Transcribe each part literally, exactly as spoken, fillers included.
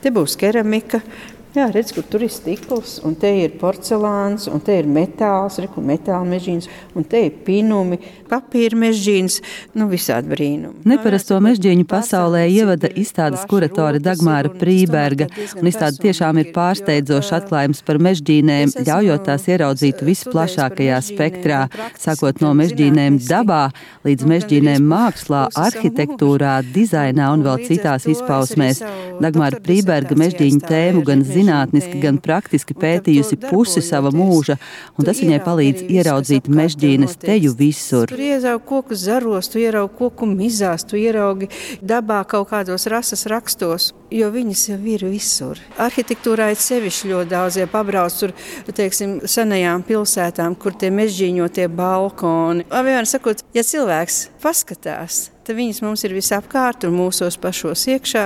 Te būs keramika. Jā, redz, kur tur ir stikls, un te ir porcelāns, un te ir metāls, reku metāla mežģīns, un te ir pinumi, papīra mežģīns, nu visādi brīnumi. Neparasto mežģīņu pasaulē ievada izstādes kuratore Dagmāra Prīberga, un izstāde tiešām ir pārsteidzošs atklājums par mežģīnēm, ļaujot tās ieraudzīt visplašākajā spektrā, sākot no mežģīnēm dabā līdz mežģīnēm mākslā, arhitektūrā, dizainā un vēl citās izpausmēs. Dagmāra Prīberga mežģīņu tēmu gan zinātniski, gan praktiski pētījusi pusi sava mūža, un tas viņai palīdz ieraudzīt mežģīnes teju visur. Tu ieraugi koku zaros, tu ieraugi koku mizās, tu ieraugi dabā kaut kādos rases rakstos, jo viņas jau ir visur. Arhitektūrā ir sevišķi ļoti daudz, ja pabrauc tur, teiksim, senajām pilsētām, kur tie mežģīņotie balkoni. Vienmēr sakot, ja cilvēks paskatās, tad viņas mums ir visapkārt un mūsos pašos iekšā,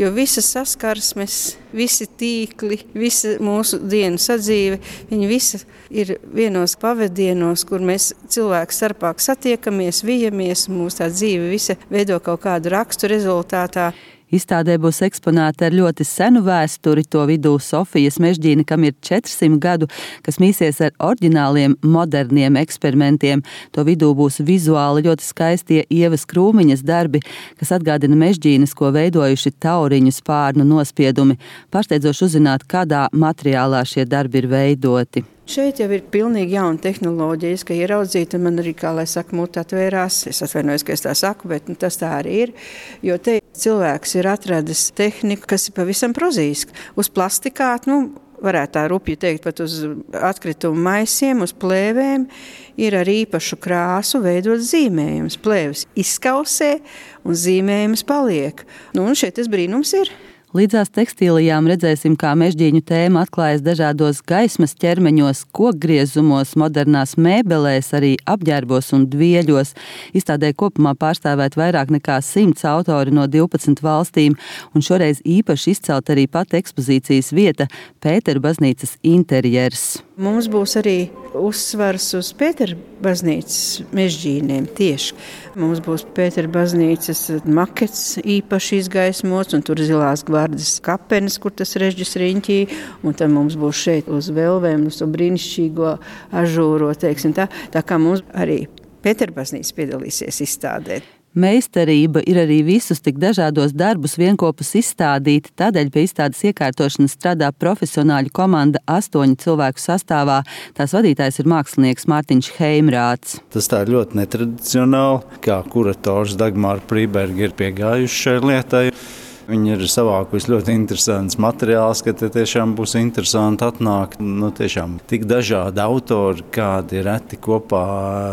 jo visas saskarsmes, visi tīkli, visa mūsu dienu sadzīve, viņi visi ir vienos pavadienos, kur mēs cilvēku starpāk satiekamies, vijamies, mūsu tā dzīve visa veido kaut kādu rakstu rezultātā. Izstādē būs eksponēta ar ļoti senu vēsturi, to vidū Sofijas mežģīne, kam ir četrsimt gadu, kas mīsies ar oriģināliem, moderniem eksperimentiem. To vidū būs vizuāli ļoti skaistie Ievas Krūmiņas darbi, kas atgādina mežģīnes, ko veidojuši tauriņu spārnu nospiedumi. Pārsteidzoši uzzināt, kādā materiālā šie darbi ir veidoti. Šeit jau ir pilnīgi jauna tehnoloģija, ka ieraudzīt, un man arī, kā lai saka, mūta atvērās. Es atvainojos, ka es tā saku, bet nu, tas tā arī ir. Jo te cilvēks ir atradis tehniku, kas ir pavisam prozaiska. Uz plastikāt, nu, varētu tā rupji teikt, pat uz atkritumu maisiem, uz plēvēm, ir ar īpašu krāsu veidot zīmējumus. Plēvis izskausē un zīmējums paliek. Nu, un šeit tas brīnums ir. Līdzās tekstīlijām redzēsim, kā mežģīņu tēma atklājas dažādos gaismas ķermeņos, kokgriezumos, modernās mēbelēs, arī apģērbos un dvieļos. Izstādē kopumā pārstāvēt vairāk nekā simts autori no divpadsmit valstīm, un šoreiz īpaši izcelt arī pat ekspozīcijas vieta – Pēteru baznīcas interjers. Mums būs arī uzsvars uz Pēteru baznīcas mežģīniem tieši. Mums būs Pēteru baznīcas makets īpaši izgaismots, un tur zilās gvardas kapenes, kur tas režģis riņķī, un tad mums būs šeit uz velvēm, uz to brīnišķīgo ažūro, teiksim tā. Tā kā mums arī Pēteru baznīca piedalīsies izstādē. Meistarība ir arī visus tik dažādos darbus vienkopus izstādīt, tādēļ pie izstādes iekārtošanas strādā profesionāļu komanda astoņu cilvēku sastāvā. Tās vadītājs ir mākslinieks Mārtiņš Heimrāts. Tas tā ir ļoti netradicionāli, kā kurators Dagmāra Prīberga ir piegājuši šai lietai. Viņi ir savākusi ļoti interesants materiāls, ka te tiešām būs interesanti atnākt. Nu, tiešām tik dažādi autori, kādi reti kopā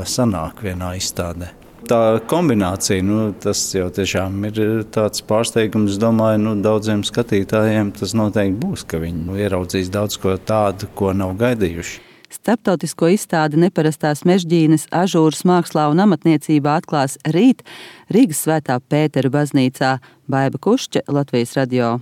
sanāk vienā izstādē. Tā kombinācija, nu, tas jau tiešām ir tāds pārsteigums, es domāju, nu, daudziem skatītājiem tas noteikti būs, ka viņi nu, ieraudzīs daudz ko tādu, ko nav gaidījuši. Starptautisko izstādi Neparastās mežģīnes ažūras mākslā un amatniecībā atklās rīt Rīgas Svētā Pētera baznīcā. Baiba Kušķe, Latvijas radio.